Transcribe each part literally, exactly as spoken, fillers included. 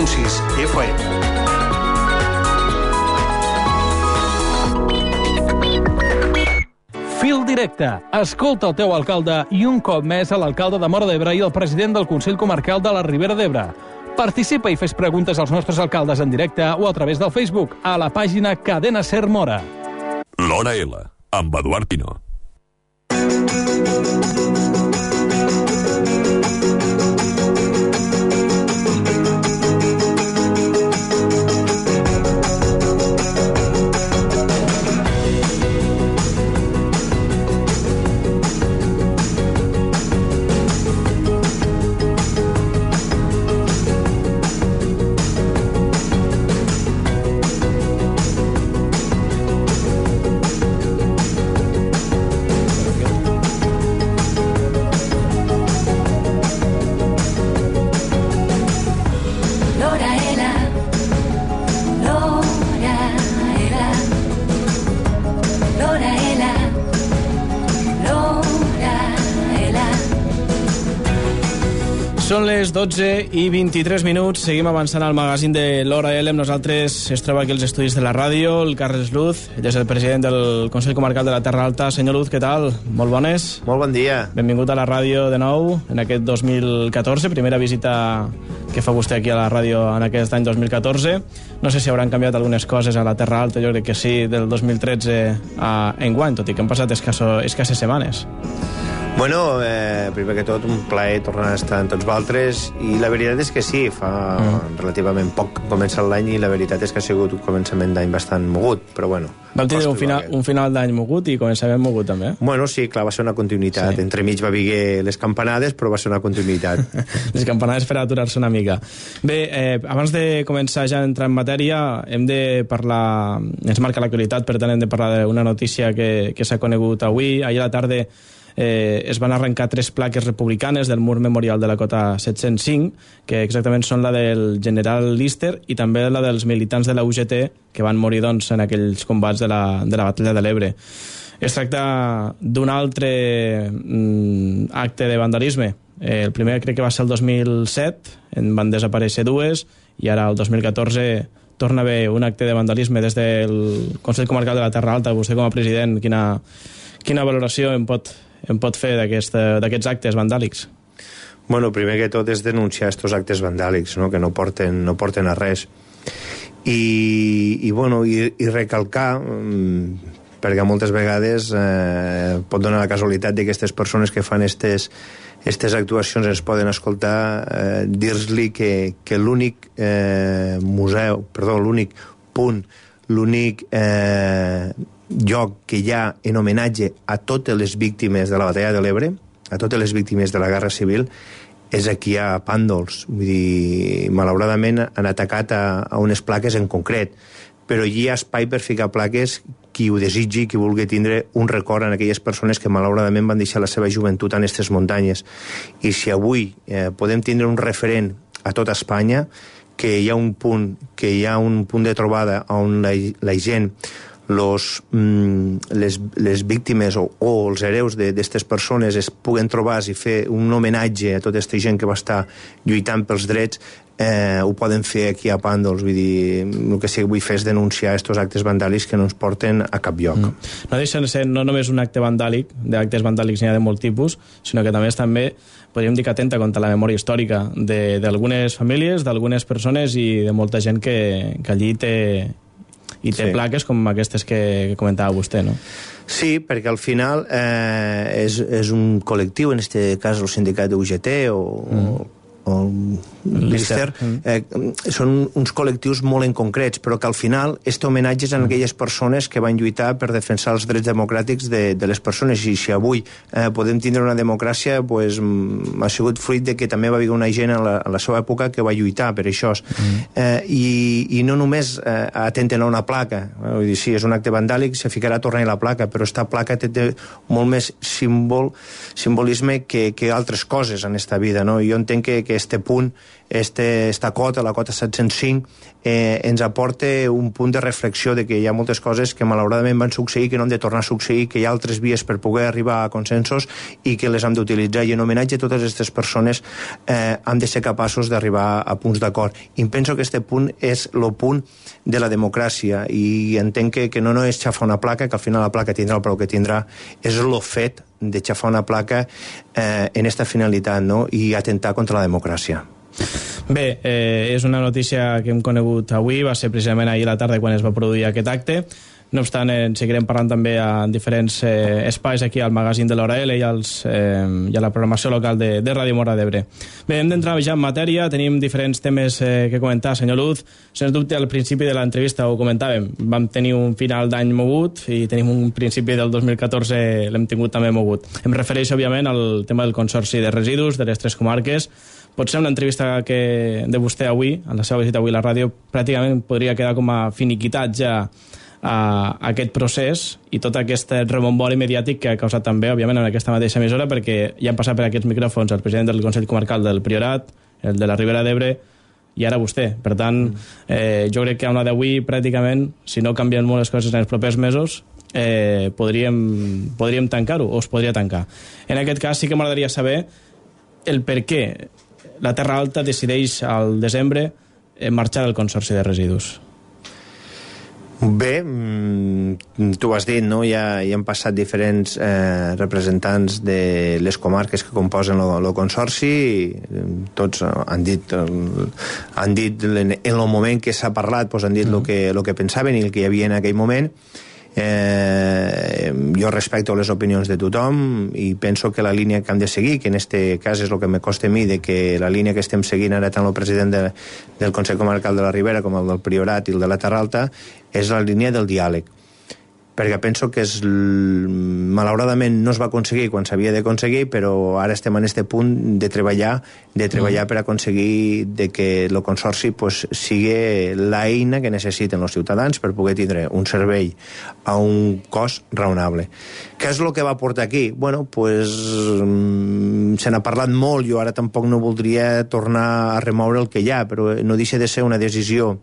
punt sis F M. Fil directe. Escolta el teu alcalde i un cop més a l'alcalde de Móra d'Ebre i el president del Consell Comarcal de la Ribera d'Ebre. Participa i fes preguntes als nostres alcaldes en directe o a través del Facebook a la pàgina Cadena Ser Móra. L'Hora L, amb Eduard Pino. Són les dotze i vint-i-tres minuts. Seguim avançant al magazín de l'Hora L. Amb nosaltres es troba aquí els estudis de la ràdio, el Carles Luz, ell és el president del Consell Comarcal de la Terra Alta. Senyor Luz, què tal? Molt bones. Molt bon dia. Benvingut a la ràdio de nou en aquest dos mil catorze, primera visita que fa vostè aquí a la ràdio en aquest any dos mil catorze. No sé si hauran canviat algunes coses a la Terra Alta, jo crec que sí, del dos mil tretze a enguany, tot i que han passat escasso, escasses setmanes. Bueno, eh, primer que tot, un plaer tornar a estar amb tots vosaltres, i la veritat és que sí, fa mm. relativament poc que comença l'any, i la veritat és que ha sigut un començament d'any bastant mogut, però bueno... Vam tenir un final, un final d'any mogut i començament mogut, també. Bueno, sí, clar, va ser una continuïtat. Sí. Entremig va haver les campanades, però va ser una continuïtat. Les campanades per aturar-se una mica. Bé, eh, abans de començar ja a entrar en matèria, hem de parlar... Ens marca l'actualitat, per tant hem de parlar d'una notícia que, que s'ha conegut avui. Ahir a la tarda eh, es van arrencar tres plaques republicanes del mur memorial de la Cota set-cents cinc, que exactament són la del general Lister i també la dels militants de la U G T que van morir doncs, en aquells combats de la, de la batalla de l'Ebre. Es tracta d'un altre mm, acte de vandalisme. Eh, el primer crec que va ser el dos mil set, en van desaparèixer dues, i ara el dos mil catorze torna a haver un acte de vandalisme des del Consell Comarcal de la Terra Alta. Vostè com a president, quina, quina valoració en pot, en pot fer d'aquests actes vandàlics? Bueno, primer que tot és denunciar estos actes vandàlics, no? Que no porten, no porten a res. I, i, bueno, i, i recalcar, perquè moltes vegades eh, pot donar la casualitat de que aquestes persones que fan estes, estes actuacions ens poden escoltar, eh, dir-li que, que l'únic eh, museu, perdó, l'únic punt, l'únic eh, lloc que hi ha en homenatge a totes les víctimes de la batalla de l'Ebre, a totes les víctimes de la Guerra Civil, és aquí a Pàndols. Vull dir, malauradament han atacat a, a unes plaques en concret, però hi ha espai per ficar plaques qui ho desitgi, qui vulgui tindre un record en aquelles persones que malauradament van deixar la seva joventut en aquestes muntanyes. I si avui eh, podem tindre un referent a tota Espanya, que hi ha un punt, que hi ha un punt de trobada on la, la gent, los, mm, les, les víctimes o, o els hereus d'aquestes persones es puguen trobar i fer un homenatge a tota aquesta gent que va estar lluitant pels drets, eh, ho poden fer aquí a Pàndols. Vull dir, el que sí que vull fer és denunciar aquests actes vandàlics que no ens porten a cap lloc. Mm. No deixen de ser no només un acte vandàlic, d'actes vandàlics n'hi ha de molt tipus, sinó que també és també, podríem dir que atenta contra la memòria històrica d'algunes famílies, d'algunes persones i de molta gent que, que allí té... i té sí. plaques com aquestes que, que comentava vostè, no? Sí, perquè al final eh, és, és un col·lectiu, en aquest cas el sindicat de U G T o, mm. o Lister, eh, són uns col·lectius molt en concrets, però que al final este homenatge és a aquelles persones que van lluitar per defensar els drets democràtics de, de les persones, i si avui eh, podem tindre una democràcia, pues, ha sigut fruit de que també va haver una gent a la, a la seva època que va lluitar per això. Mm. Eh, i, i no només eh, atenten a una placa, eh, vull dir, sí, és un acte vandàlic, se ficarà a tornar la placa, però esta placa té, té molt més símbol, simbolisme que, que altres coses en esta vida, no? Jo entenc que, que este punt, este, esta cota, la cota set-cents cinc, eh, ens aporta un punt de reflexió de que hi ha moltes coses que malauradament van succeir, que no han de tornar a succeir, que hi ha altres vies per poder arribar a consensos i que les hem d'utilitzar, i en homenatge a totes aquestes persones eh, hem de ser capaços d'arribar a punts d'acord. I penso que este punt és el punt de la democràcia, i entenc que, que no, no és xafar una placa, que al final la placa tindrà el preu que tindrà, és el fet de xafar una placa eh, en esta finalitat, no? I atentar contra la democràcia. Bé, eh, és una notícia que hem conegut avui, va ser precisament ahir a la tarda quan es va produir aquest acte. No obstant, en seguirem parlant també a diferents eh, espais aquí al magazín de l'Hora L i, als, eh, i a la programació local de, de Ràdio Móra d'Ebre. Bé, hem d'entrar ja en matèria, tenim diferents temes eh, que comentar, senyor Luz. Sens dubte, al principi de l'entrevista ho comentàvem, vam tenir un final d'any mogut i tenim un principi del dos mil catorze, l'hem tingut també mogut. Em refereixo, òbviament, al tema del consorci de residus de les tres comarques. Potser una entrevista que de vostè avui, en la seva visita avui a la ràdio, pràcticament podria quedar com a finiquitat ja a aquest procés i tot aquest rebombori mediàtic que ha causat també, òbviament, en aquesta mateixa emissora, perquè ja han passat per aquests micròfons el president del Consell Comarcal del Priorat, el de la Ribera d'Ebre, i ara vostè. Per tant, eh, jo crec que a una d'avui, pràcticament, si no canvien molt les coses en els propers mesos, eh, podríem, podríem tancar-ho, o es podria tancar. En aquest cas sí que m'agradaria saber el per què la Terra Alta decideix al desembre marxar del Consorci de Residus. Bé, tu ho has dit, no? Ja, ja han passat diferents eh, representants de les comarques que composen el consorci, tots han dit, el, han dit en el moment que s'ha parlat, doncs han dit el que, lo que pensaven i el que hi havia en aquell moment. Eh, jo respecto les opinions de tothom i penso que la línia que hem de seguir, que en este cas és el que me costa a mi, de que la línia que estem seguint ara tant el president de, del Consell Comarcal de la Ribera com el del Priorat i el de la Terra Alta, és la línia del diàleg, perquè penso que és, malauradament no es va aconseguir quan s'havia d'aconseguir, però ara estem en este punt de treballar de treballar mm. per aconseguir de que el consorci pues, sigui l'eina que necessiten els ciutadans per poder tindre un servei a un cost raonable. Què és el que va portar aquí? Bueno, pues, se n'ha parlat molt, jo ara tampoc no voldria tornar a remoure el que hi ha, però no deixa de ser una decisió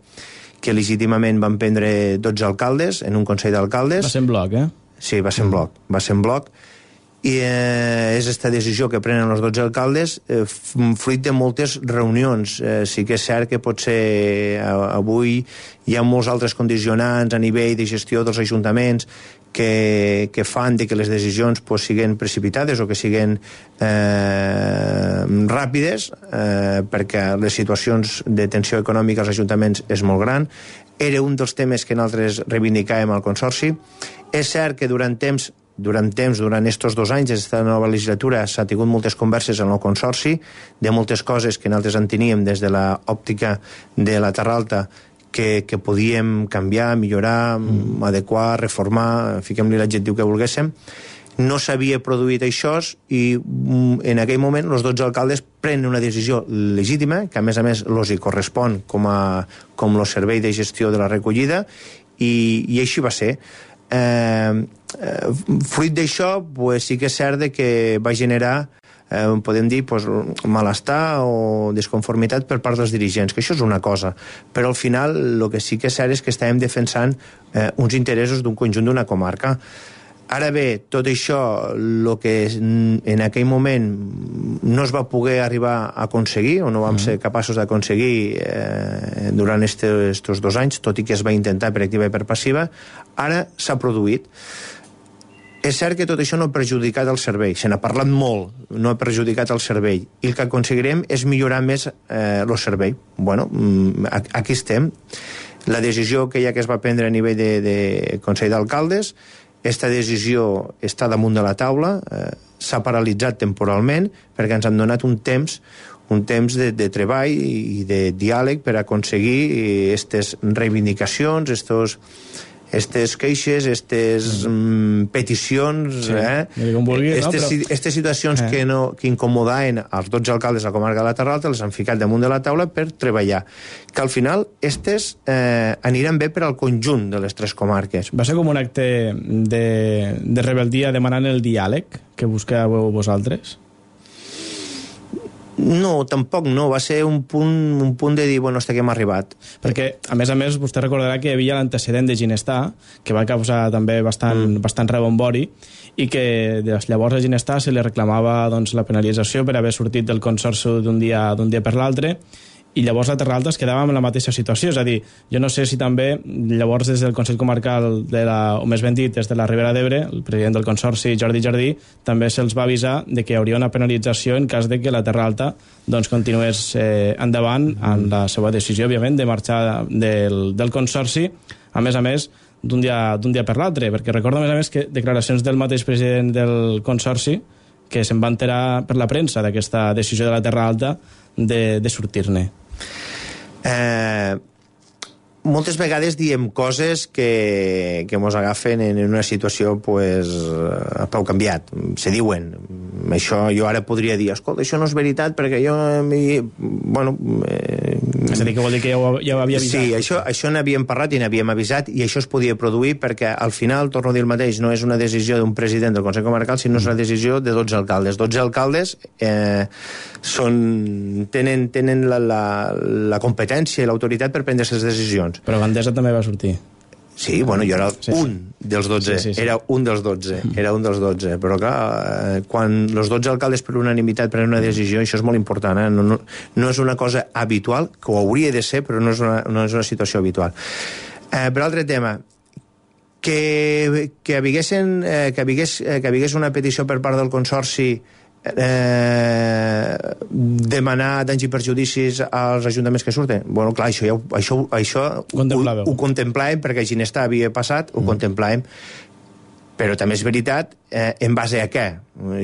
que legítimament van prendre dotze alcaldes en un consell d'alcaldes. Va ser en bloc, eh? Sí, va ser en bloc. Va ser en bloc. I eh, és aquesta decisió que prenen els dotze alcaldes eh, fruit de moltes reunions. Eh, sí que és cert que potser eh, avui hi ha molts altres condicionants a nivell de gestió dels ajuntaments que, que fan de que les decisions pues, siguin precipitades o que siguin eh, ràpides, eh, perquè les situacions de tensió econòmica als ajuntaments és molt gran. Era un dels temes que nosaltres reivindicàvem al Consorci. És cert que durant temps durant temps, durant estos dos anys d'aquesta nova legislatura, s'ha tingut moltes converses en el Consorci, de moltes coses que nosaltres en teníem des de l'òptica de la Terra Alta, que, que podíem canviar, millorar, mm. adequar, reformar, fiquem-li l'adjectiu que volguéssim. No s'havia produït això i en aquell moment els dotze alcaldes prenen una decisió legítima, que a més a més els hi correspon com a com el servei de gestió de la recollida, i, i així va ser. Eh, eh, fruit d'això, pues, sí que és cert que va generar eh, podem dir pues, malestar o desconformitat per part dels dirigents, que això és una cosa, però al final el que sí que és cert és que estàvem defensant eh, uns interessos d'un conjunt d'una comarca. Ara bé, tot això, el que en aquell moment no es va poder arribar a aconseguir, o no vam ser capaços d'aconseguir eh, durant aquests dos anys, tot i que es va intentar per activa i per passiva, ara s'ha produït. És cert que tot això no ha perjudicat el servei, se n'ha parlat molt, no ha perjudicat el servei, i el que aconseguirem és millorar més eh, el servei. Bueno, aquí estem. La decisió que ja que es va prendre a nivell de, de Consell d'Alcaldes, aquesta decisió està damunt de la taula, eh, s'ha paralitzat temporalment perquè ens han donat un temps un temps de, de treball i de diàleg per aconseguir aquestes reivindicacions, estos aquestes queixes, aquestes mm, peticions, sí, eh? vulgui, estes, no? Però... estes situacions eh. que, no, que incomodaven els dotze alcaldes de la comarca de la Terra Alta, les han ficat damunt de la taula per treballar. Que al final estes eh, aniran bé per al conjunt de les tres comarques. Va ser com un acte de, de rebeldia demanant el diàleg que busqueu vosaltres? No, tampoc no. Va ser un punt, un punt de dir, bueno, hasta que hem arribat. Perquè, a més a més, vostè recordarà que hi havia l'antecedent de Ginestar, que va causar també bastant, mm. bastant rebombori, i que des llavors a Ginestar se li reclamava doncs, la penalització per haver sortit del consorci d'un dia, d'un dia per l'altre, i llavors la Terra Alta es quedava en la mateixa situació. És a dir, jo no sé si també llavors des del Consell Comarcal, de la, o més ben dit, des de la Ribera d'Ebre, el president del Consorci, Jordi Jardí, també se'ls va avisar de que hi hauria una penalització en cas de que la Terra Alta doncs, continués eh, endavant en la seva decisió, òbviament, de marxar del, del Consorci, a més a més, d'un dia, d'un dia per l'altre, perquè recordo, a més a més, que declaracions del mateix president del Consorci que se'n va enterar per la premsa d'aquesta decisió de la Terra Alta de, de sortir-ne. Eh, moltes vegades diem coses que, que mos agafen en una situació pues, a peu canviat. Se diuen. Això jo ara podria dir, escolta, això no és veritat perquè jo... Bueno... Eh, és a dir, que vol dir que ja ho, ja ho havia avisat. Sí, això, això n'havíem parlat i n'havíem avisat i això es podia produir perquè al final, torno a dir el mateix, no és una decisió d'un president del Consell Comarcal, sinó és una decisió de dotze alcaldes. dotze alcaldes eh, són, tenen, tenen la, la, la competència i l'autoritat per prendre aquestes decisions. Però Gandesa també va sortir. Sí, bueno, jo era sí, un sí. dels dotze, sí, sí, sí. era un dels dotze, era un dels dotze, però clar, quan els dotze alcaldes per unanimitat prenen una decisió, això és molt important, eh? no, no, no és una cosa habitual, que ho hauria de ser, però no és una, no és una situació habitual. Eh, per altre tema, que, que, haviguessin, eh, que, havigués, eh, que havigués una petició per part del Consorci Eh, demanar danys i perjudicis als ajuntaments que surten. Bueno, clar, això, ja, això, això ho, ho contemplàvem perquè a Ginestar havia passat, ho mm. contemplàvem, però també és veritat eh, en base a què?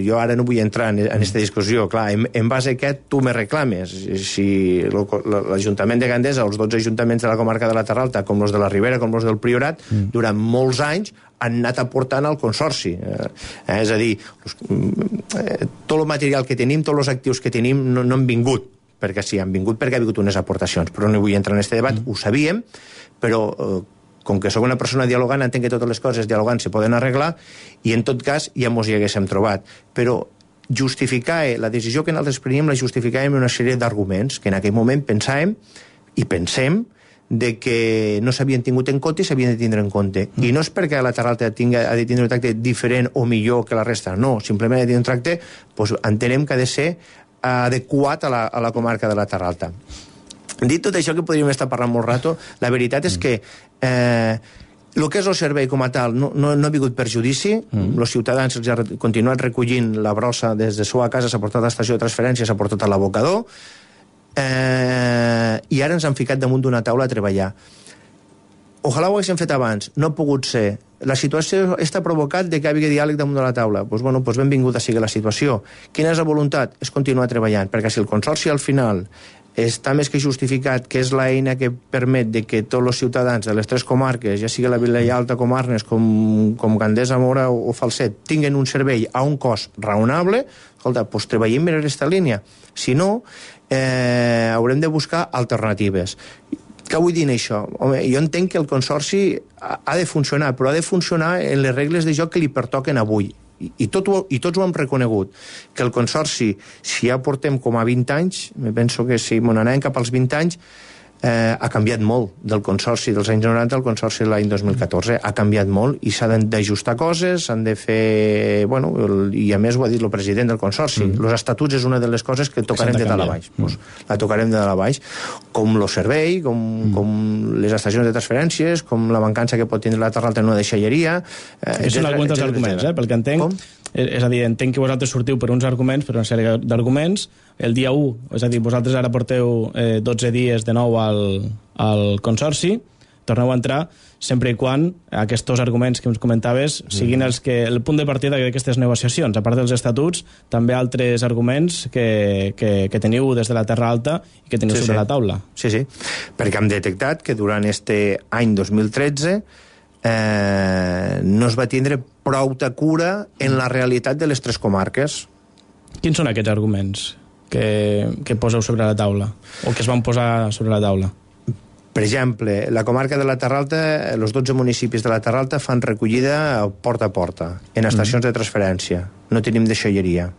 Jo ara no vull entrar en aquesta discussió, clar, en, en base a què tu me reclames? Si l'Ajuntament de Gandesa, els dotze ajuntaments de la comarca de la Terra Alta, com els de la Ribera, com els del Priorat, mm. durant molts anys han anat aportant al Consorci. Eh, és a dir, eh, tot el material que tenim, tots els actius que tenim, no, no han vingut, perquè sí, han vingut perquè ha vingut unes aportacions, però no vull entrar en aquest debat, mm. ho sabíem, però eh, com que sóc una persona dialogant, entenc que totes les coses dialogant se poden arreglar, i en tot cas ja mos hi haguéssim trobat. Però justificar la decisió que nosaltres preníem la justificàvem una sèrie d'arguments que en aquell moment pensàvem i pensem de que no s'havien tingut en compte i s'havien de tindre en compte. Mm. I no és perquè la Terra Alta tinga, ha de tindre un tracte diferent o millor que la resta, no, simplement ha de tindre un tracte, doncs entenem que ha de ser adequat a la, a la comarca de la Terra Alta. Dit tot això, que podríem estar parlant molt rato, la veritat és que eh, el que és el servei com a tal no, no, no ha vingut perjudici, mm. els ciutadans els han continuat recollint la brossa des de seva casa, s'ha portat a l'estació de transferència, s'ha portat a l'abocador, eh, i ara ens han ficat damunt d'una taula a treballar. Ojalà ho haguéssim fet abans, no ha pogut ser. La situació està provocat de que hi hagi diàleg damunt de la taula. Doncs, bueno, doncs benvinguda sigui la situació. Quina és la voluntat? És continuar treballant, perquè si el Consorci al final està més que justificat que és l'eina que permet de que tots els ciutadans de les tres comarques, ja sigui la Vilella Alta com Arnes, com, com Gandesa, Mora o, o Falset, tinguen un servei a un cost raonable, escolta, doncs treballem en aquesta línia. Si no, eh, haurem de buscar alternatives. Què vull dir això? Home, jo entenc que el Consorci ha, ha de funcionar, però ha de funcionar en les regles de joc que li pertoquen avui. I, tot ho, i tots ho hem reconegut, que el Consorci, si ja portem com a vint anys, me penso que si m'ho anàvem cap als vint anys, eh, ha canviat molt del Consorci dels anys noranta al Consorci de l'any dos mil catorze. Ha canviat molt i s'ha d'ajustar coses, s'han de fer... Bueno, el, i a més ho ha dit el president del Consorci. Mm. Els estatuts és una de les coses que tocarem de dalt a baix. Mm. Pues, la tocarem de dalt a baix. Com el servei, com, mm. com les estacions de transferències, com la mancança que pot tindre la Terra Alta en una deixalleria... Eh, són alguns dels arguments, eh, pel que entenc. Com? És a dir, entenc que vosaltres sortiu per uns arguments, per una sèrie d'arguments. El dia u, és a dir, vosaltres ara porteu eh, dotze dies de nou al, al Consorci, torneu a entrar sempre i quan aquests arguments que ens comentaves siguin els que, el punt de partida d'aquestes negociacions, a part dels estatuts, també altres arguments que, que, que teniu des de la Terra Alta i que teniu sí, sobre sí. la taula. Sí, sí, perquè hem detectat que durant este any dos mil tretze eh, no es va tindre prou de cura en la realitat de les tres comarques. Quins són aquests arguments que, que poseu sobre la taula o que es van posar sobre la taula? Per exemple, la comarca de la Terra Alta, els dotze municipis de la Terra Alta fan recollida porta a porta, en estacions mm. de transferència. No tenim deixalleria.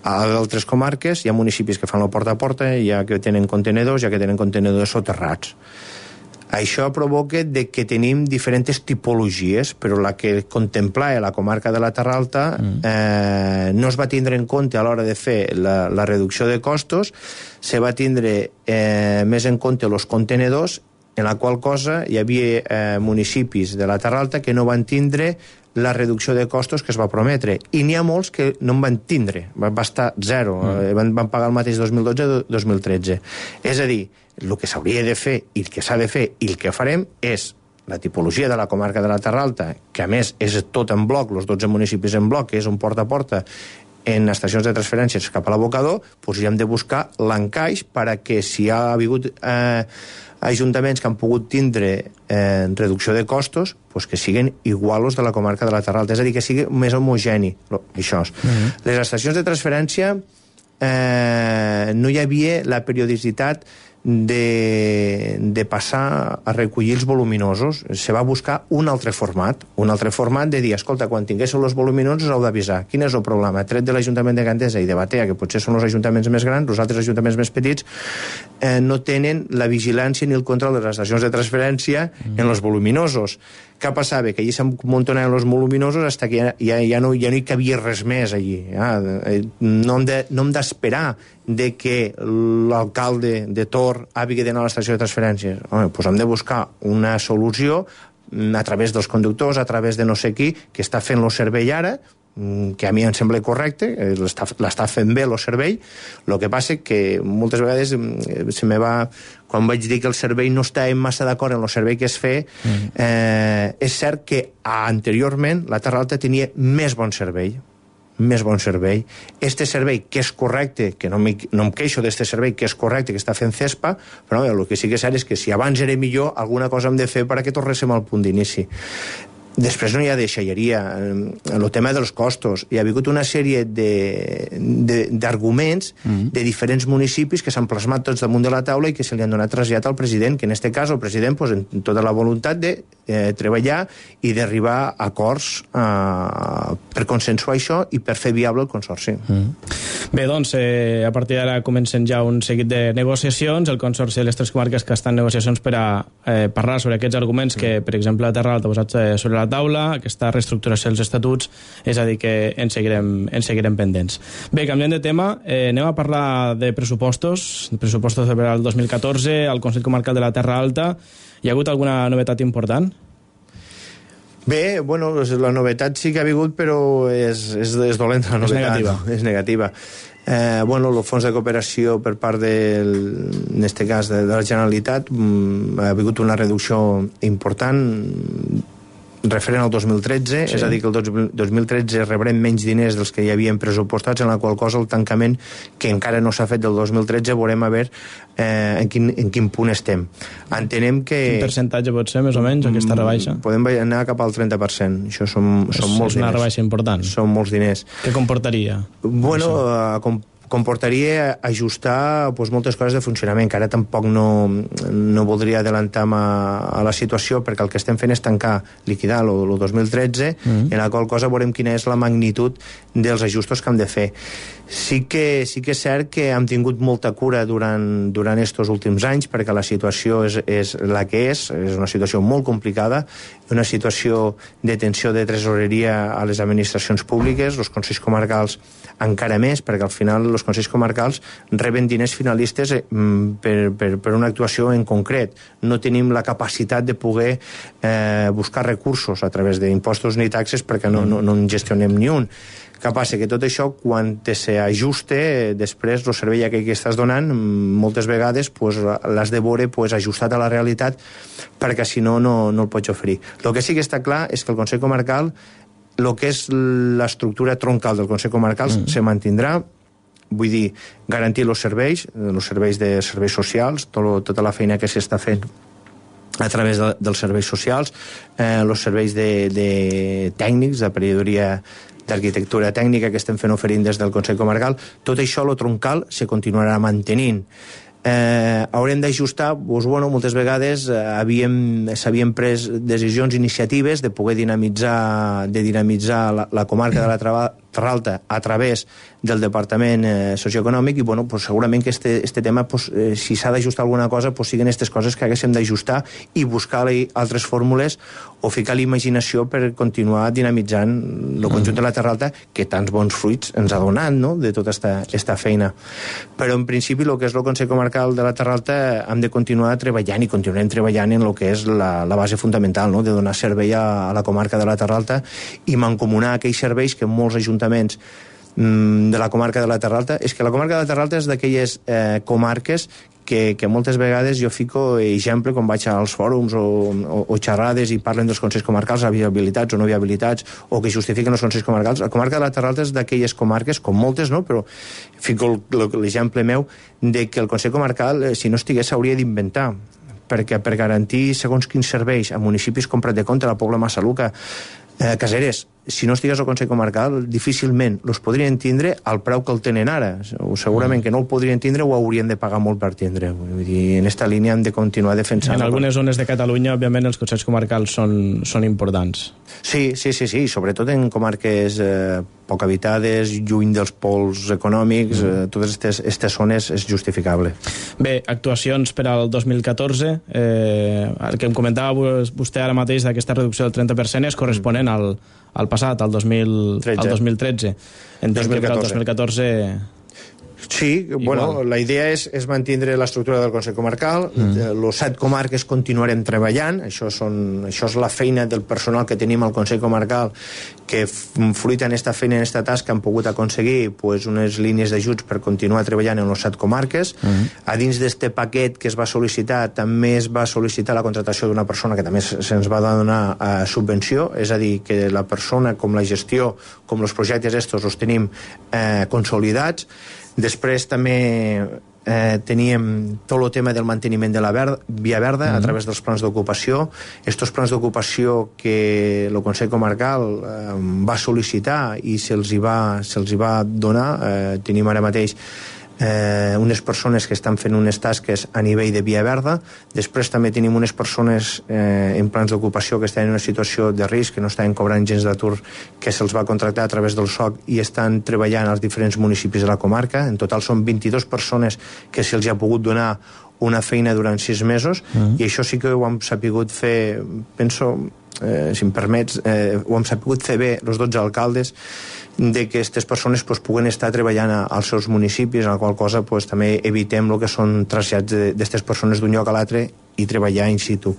A altres comarques hi ha municipis que fan la porta a porta, hi ha que tenen contenedors, hi ha que tenen contenedors soterrats. Això provoca de que tenim diferents tipologies, però la que contemplava la comarca de la Terra Alta mm. eh, no es va tindre en compte a l'hora de fer la, la reducció de costos, se va tindre eh, més en compte els contenedors, en la qual cosa hi havia eh, municipis de la Terra Alta que no van tindre la reducció de costos que es va prometre, i n'hi ha molts que no en van tindre, va, va estar zero, mm. van, van pagar el mateix dos mil dotze dos mil tretze. És a dir, el que s'hauria de fer i el que s'ha de fer i el que farem és la tipologia de la comarca de la Terra Alta, que a més és tot en bloc, els dotze municipis en bloc, que és un porta a porta en estacions de transferències cap a l'abocador, doncs hi hem de buscar l'encaix perquè si ha hagut eh, ajuntaments que han pogut tindre eh, reducció de costos, doncs que siguin iguals de la comarca de la Terra Alta, és a dir, que sigui més homogeni, això. Mm-hmm. Les estacions de transferència eh, no hi havia la periodicitat de, de passar a recollir els voluminosos. Se va buscar un altre format, un altre format de dir, escolta, quan tinguéssiu els voluminosos heu d'avisar. Quin és el problema? Tret de l'Ajuntament de Gandesa i de Batea, que potser són els ajuntaments més grans, els altres ajuntaments més petits eh, no tenen la vigilància ni el control de les estacions de transferència mm. en els voluminosos. Què passava? Que allí s'amuntonaven els voluminosos fins que ja, ja, ja, no, ja no hi cabia res més allí. Ja, no hem de, no hem d'esperar de que l'alcalde de Tor hagi d'anar a l'estació de transferències. Home, doncs hem de buscar una solució a través dels conductors, a través de no sé qui, que està fent el servei ara, que a mi em sembla correcte, l'està fent bé el servei. El que passa que moltes vegades se me va, quan vaig dir que el servei no estava massa d'acord en el servei que es feia, mm. eh, és cert que anteriorment la Terra Alta tenia més bon servei, més bon servei. Este servei, que és correcte, que no, no em queixo d'este servei, que és correcte, que està fent CESPA, però el que sí que és cert és que si abans era millor, alguna cosa hem de fer perquè tornéssim al punt d'inici. Després no hi ha deixalleria, el tema dels costos. Hi ha hagut una sèrie d'arguments de, de, mm-hmm. de diferents municipis que s'han plasmat tots damunt de la taula i que se li han donat trasllat al president, que en aquest cas el president pues, en tota la voluntat de eh, treballar i d'arribar a acords eh, per consensuar això i per fer viable el consorci. Mm. Bé, doncs, eh, a partir d'ara comencen ja un seguit de negociacions. El consorci de les tres comarques que estan en negociacions per a eh, parlar sobre aquests arguments mm. que, per exemple, la Terra Alta ha posat eh, sobre la taula, aquesta reestructuració dels estatuts, és a dir, que en seguirem, en seguirem pendents. Bé, canviant de tema, eh, anem a parlar de pressupostos, de pressupostos per al dos mil catorze, al Consell Comarcal de la Terra Alta. Hi ha hagut alguna novetat important? Bé, bueno, la novetat sí que ha hagut, però és, és, és dolenta la novetat. És negativa. És negativa. Eh, bueno, el fons de cooperació per part del, en este cas de, de la Generalitat mm, ha hagut una reducció important referent al dos mil tretze, sí. És a dir, que el dos mil tretze rebrem menys diners dels que hi havien pressupostats, en la qual cosa el tancament, que encara no s'ha fet del dos mil tretze, veurem a veure eh, en, quin, en quin punt estem. Entenem que... Quin percentatge pot ser, més o menys, aquesta rebaixa? Podem anar cap al trenta per cent. Això són, són és, molts diners. És una rebaixa important. Són molts diners. Què comportaria? Bueno, com comportaria ajustar pues, moltes coses de funcionament, que ara tampoc no, no voldria adelantar a, a la situació, perquè el que estem fent és tancar, liquidar el dos mil tretze, mm-hmm. en la qual cosa veurem quina és la magnitud dels ajustos que hem de fer. Sí que, sí que és cert que hem tingut molta cura durant, durant estos últims anys, perquè la situació és, és la que és, és una situació molt complicada, una situació de tensió de tresoreria a les administracions públiques, els consells comarcals encara més, perquè al final els consells comarcals reben diners finalistes per, per, per una actuació en concret. No tenim la capacitat de poder eh, buscar recursos a través d'impostos ni taxes perquè no, no, no en gestionem ni un. Què passa? Que tot això, quan s'ajuste, després el servei aquell que estàs donant, moltes vegades pues, l'has de veure pues, ajustat a la realitat, perquè si no, no, no el pots oferir. El que sí que està clar és que el Consell Comarcal, el que és l'estructura troncal del Consell Comarcal, mm. se mantindrà, vull dir, garantir els serveis, els serveis de serveis socials, tot, tota la feina que s'està fent a través de, dels serveis socials, eh, els serveis de, de tècnics, de periodria d'arquitectura tècnica que estem fent oferint des del Consell Comarcal, tot això, lo troncal, se continuarà mantenint. Eh, haurem d'ajustar, doncs, bueno, moltes vegades eh, havíem, s'havien pres decisions, iniciatives de poder dinamitzar, de dinamitzar la, la comarca de la, Trava, Terralta a través del Departament eh, Socioeconòmic i bueno, pues, segurament que este, este tema pues, eh, si s'ha d'ajustar alguna cosa pues, siguin aquestes coses que haguéssim d'ajustar i buscar altres fórmules o ficar l'imaginació per continuar dinamitzant el conjunt de la Terralta que tants bons fruits ens ha donat, no?, de tota esta, esta feina. Però en principi el que és el Consell Comarcal de la Terralta hem de continuar treballant i continuem treballant en el que és la, la base fundamental, no?, de donar servei a, a la comarca de la Terralta i mancomunar aquells serveis que molts ajuntaments de la comarca de la Terralta, és que la comarca de la Terralta és d'aquelles eh, comarques que, que moltes vegades jo fico exemple quan vaig als fòrums o, o, o xerrades i parlen dels consells comarcals, viabilitats o no viabilitats, o que justifiquen els consells comarcals. La comarca de la Terralta és d'aquelles comarques, com moltes, no?, però fico l'exemple meu de que el consell comarcal, si no estigués, s'hauria d'inventar, perquè per garantir segons quins serveis a municipis com Prat de Comte, la Pobla Massaluca, eh, Caseres, si no estigués al Consell Comarcal, difícilment els podrien tindre al preu que el tenen ara. O segurament que no el podrien tindre o haurien de pagar molt per tindre. Vull dir, en aquesta línia hem de continuar defensant. En algunes zones de Catalunya, òbviament, els consells comarcals són, són importants. Sí, sí, sí, sí, sobretot en comarques eh, poc habitades, lluny dels pols econòmics, mm. eh, totes aquestes zones és justificable. Bé, actuacions per al dos mil catorze, eh, el que em comentava vostè ara mateix d'aquesta reducció del trenta per cent és corresponent mm. al al passat, al dos mil tretze. Entenc que per al dos mil catorze... Sí, igual. Bueno, la idea és, és mantenir l'estructura del Consell Comarcal, mm. los set comarques continuarem treballant, això, són, això és la feina del personal que tenim al Consell Comarcal, que fruit en esta feina, en esta tasca, han pogut aconseguir pues, unes línies d'ajuts per continuar treballant en les set comarques. Mm. A dins d'este paquet que es va sol·licitar, també es va sol·licitar la contratació d'una persona que també se'ns va donar uh, subvenció, és a dir, que la persona, com la gestió, com els projectes estos, els tenim eh, consolidats. Després també eh, teníem tot el tema del manteniment de la ver via verda mm-hmm. a través dels plans d'ocupació. Estos plans d'ocupació que el Consell Comarcal eh, va sol·licitar i se'ls hi, se hi va donar. Eh, tenim ara mateix eh, unes persones que estan fent unes tasques a nivell de via verda. Després també tenim unes persones eh, en plans d'ocupació que estan en una situació de risc, que no estan cobrant gens d'atur, que se'ls va contractar a través del S O C i estan treballant als diferents municipis de la comarca. En total són vint-i-dues persones que se'ls ha pogut donar una feina durant sis mesos mm. i això sí que ho hem sapigut fer, penso, eh, si em permets, eh, ho hem sapigut fer bé els dotze alcaldes, de que aquestes persones pues, puguen estar treballant a, als seus municipis, en la qual cosa pues, també evitem el que són trasllats d'aquestes persones d'un lloc a l'altre i treballar in situ.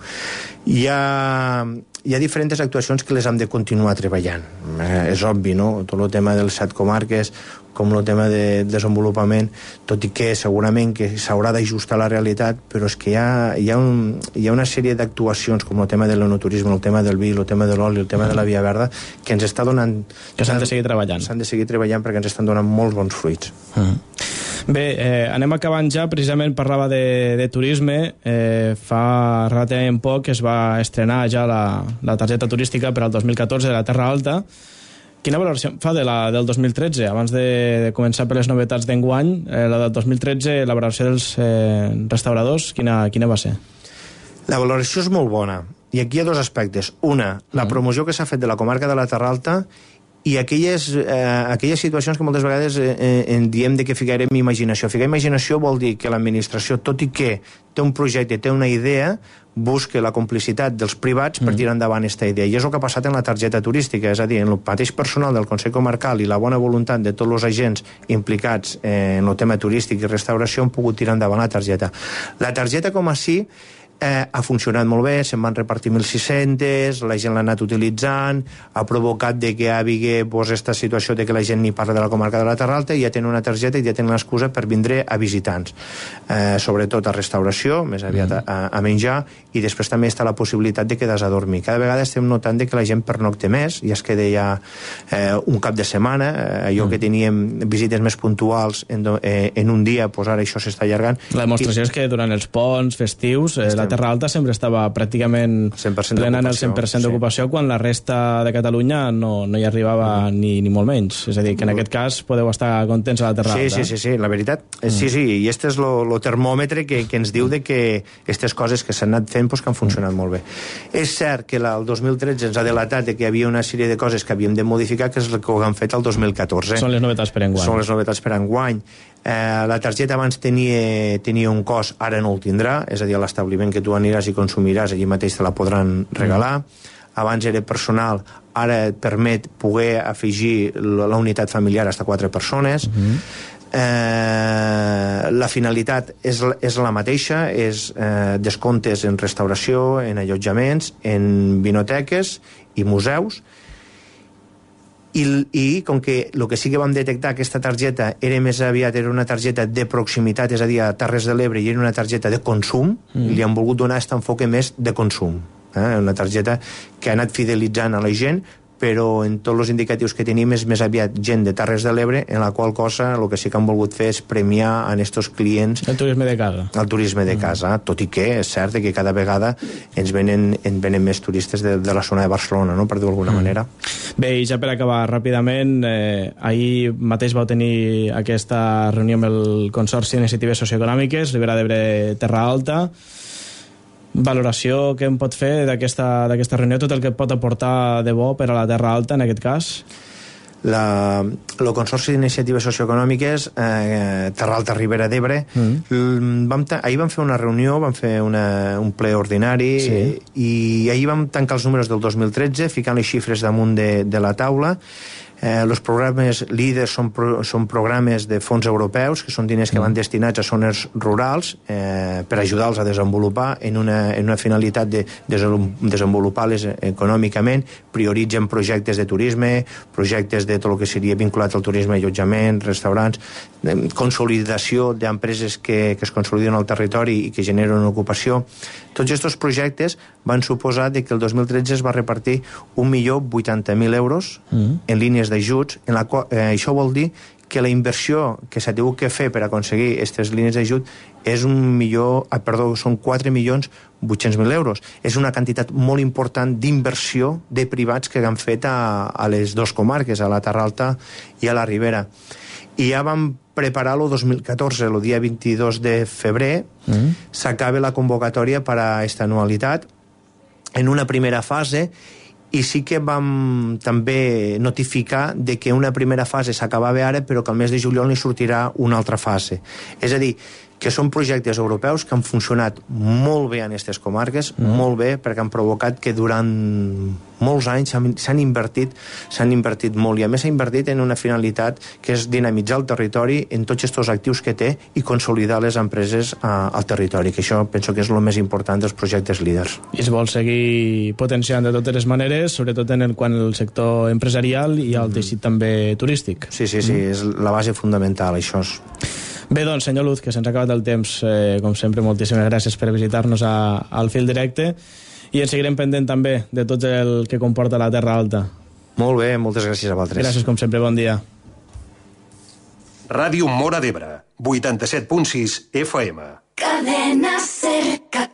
Hi ha, hi ha diferents actuacions que les hem de continuar treballant. Eh, és obvi, no?, tot el tema de les set comarques, com el tema de desenvolupament, tot i que segurament que s'haurà d'ajustar la realitat, però és que hi ha, hi ha, un, hi ha una sèrie d'actuacions, com el tema de l'enoturisme, el tema del vi, el tema de l'oli, el tema de la via verda, que ens està donant... Que s'han de seguir treballant. S'han de seguir treballant perquè ens estan donant molts bons fruits. Mm. Bé, eh, anem acabant ja. Precisament parlava de, de turisme. Eh, fa relativament poc es va estrenar ja la, la targeta turística per al dos mil catorze de la Terra Alta. Quina valoració fa de la del dos mil tretze? Abans de, de començar per les novetats d'enguany, eh, la del dos mil tretze, la valoració dels eh, restauradors, quina, quina va ser? La valoració és molt bona. I aquí hi ha dos aspectes. Una, la promoció que s'ha fet de la comarca de la Terra Alta i aquelles, eh, aquelles situacions que moltes vegades eh, en diem de que ficarem imaginació. Ficar imaginació vol dir que l'administració, tot i que té un projecte, té una idea, busca la complicitat dels privats per tirar endavant aquesta idea. I és el que ha passat en la targeta turística, és a dir, en el mateix personal del Consell Comarcal i la bona voluntat de tots els agents implicats en el tema turístic i restauració han pogut tirar endavant la targeta. La targeta com a si Eh, ha funcionat molt bé, se'n van repartir mil sis-centes, la gent l'ha anat utilitzant, ha provocat de que hi hagi pues, aquesta situació de que la gent ni parla de la comarca de la Terra Alta i ja tenen una targeta i ja tenen l'excusa per vindre a visitants. Eh, sobretot a restauració, més aviat a, a menjar, i després també està la possibilitat de quedar a dormir. Cada vegada estem notant de que la gent pernocta més, i es queda ja eh, un cap de setmana, eh, allò que teníem visites més puntuals en, do, eh, en un dia, pues ara això s'està allargant. La demostració I... és que durant els ponts festius eh, la Terra Alta sempre estava pràcticament plenant el cent per cent d'ocupació, sí. Quan la resta de Catalunya no, no hi arribava mm. ni, ni molt menys. És a dir, que en mm. aquest cas podeu estar contents a la Terra sí, Alta. Sí, sí, sí, la veritat. Mm. Sí, sí, i este és el termòmetre que, que ens diu de que aquestes coses que s'han anat fent pues, que han funcionat mm. molt bé. És cert que la, el dos mil tretze ens ha delatat de que hi havia una sèrie de coses que havíem de modificar, que és el que ho han fet el dos mil catorze. Són les novetats per enguany. Són les novetats per enguany. Eh, la targeta abans tenia, tenia un cost, ara no el tindrà, és a dir, a l'establiment que tu aniràs i consumiràs, allí mateix te la podran regalar. Mm. Abans era personal, ara et permet poder afegir la unitat familiar fins a quatre persones. Mm. Eh, la finalitat és, és la mateixa, és eh, descomptes en restauració, en allotjaments, en vinoteques i museus. I, i com que el que sí que vam detectar aquesta targeta era més aviat era una targeta de proximitat, és a dir, a Terres de l'Ebre, i era una targeta de consum, mm. li han volgut donar aquest enfoque més de consum, eh? Una targeta que ha anat fidelitzant a la gent, però en tots els indicatius que tenim és més aviat gent de Terres de l'Ebre, en la qual cosa el que sí que han volgut fer és premiar en estos clients el turisme de casa, el turisme de casa, mm. tot i que és cert que cada vegada ens venen, ens venen més turistes de, de la zona de Barcelona, no? Per dir-ho d'alguna mm. manera. Bé, i ja per acabar ràpidament, eh, ahir mateix vau tenir aquesta reunió amb el Consorci d'Iniciatives Socioeconòmiques, Ribera d'Ebre, Terra Alta. Valoració que em pot fer d'aquesta d'aquesta reunió, tot el que pot aportar de bo per a la Terra Alta, en aquest cas? La, el Consorci d'Iniciatives Socioeconòmiques eh, Terra Alta Ribera d'Ebre mm. vam ahir vam fer una reunió, vam fer una, un ple ordinari, sí. i, i ahir vam tancar els números del dos mil tretze ficant les xifres damunt de, de la taula. Eh, els programes líders són, pro, són programes de fons europeus, que són diners que van destinats a zones rurals eh, per ajudar-los a desenvolupar en una, en una finalitat de desenvolupar-les econòmicament. Prioritzen projectes de turisme, projectes de tot el que seria vinculat al turisme, allotjament, restaurants, eh, consolidació d'empreses que, que es consoliden al territori i que generen ocupació. Tots aquests projectes van suposar que el dos mil tretze es va repartir un milió vuitanta mil euros mm. en línies d'ajuts, en la qual, eh, això vol dir que la inversió que s'ha tingut que fer per aconseguir aquestes línies d'ajut és un milió, ah, perdó, són quatre milions vuit-cents mil euros. És una quantitat molt important d'inversió de privats que han fet a, a les dues comarques, a la Terra Alta i a la Ribera. I ja vam preparar el dos mil catorze, el dia vint-i-dos de febrer, mm. s'acaba la convocatòria per a aquesta anualitat en una primera fase, i sí que vam també notificar de que una primera fase s'acabava ara, però que al mes de juliol n'hi sortirà una altra fase. És a dir, que són projectes europeus que han funcionat molt bé en aquestes comarques, mm. molt bé, perquè han provocat que durant molts anys s'han invertit, s'han invertit molt, i a més s'ha invertit en una finalitat que és dinamitzar el territori en tots aquests actius que té i consolidar les empreses a, al territori, que això penso que és el més important dels projectes líders. I es vol seguir potenciant de totes les maneres, sobretot en el, quan el sector empresarial i el teixit mm. també turístic. Sí, sí, sí, mm. és la base fundamental, això és... Bé, doncs, senyor Luz, que se'ns ha acabat el temps, eh, com sempre, moltíssimes gràcies per visitar-nos a, al Fil Directe, i ens seguirem pendent també de tot el que comporta la Terra Alta. Molt bé, moltes gràcies a vosaltres. Gràcies, com sempre, bon dia. Ràdio Móra d'Ebre, vuitanta-set punt sis F M. Cadena Cerca.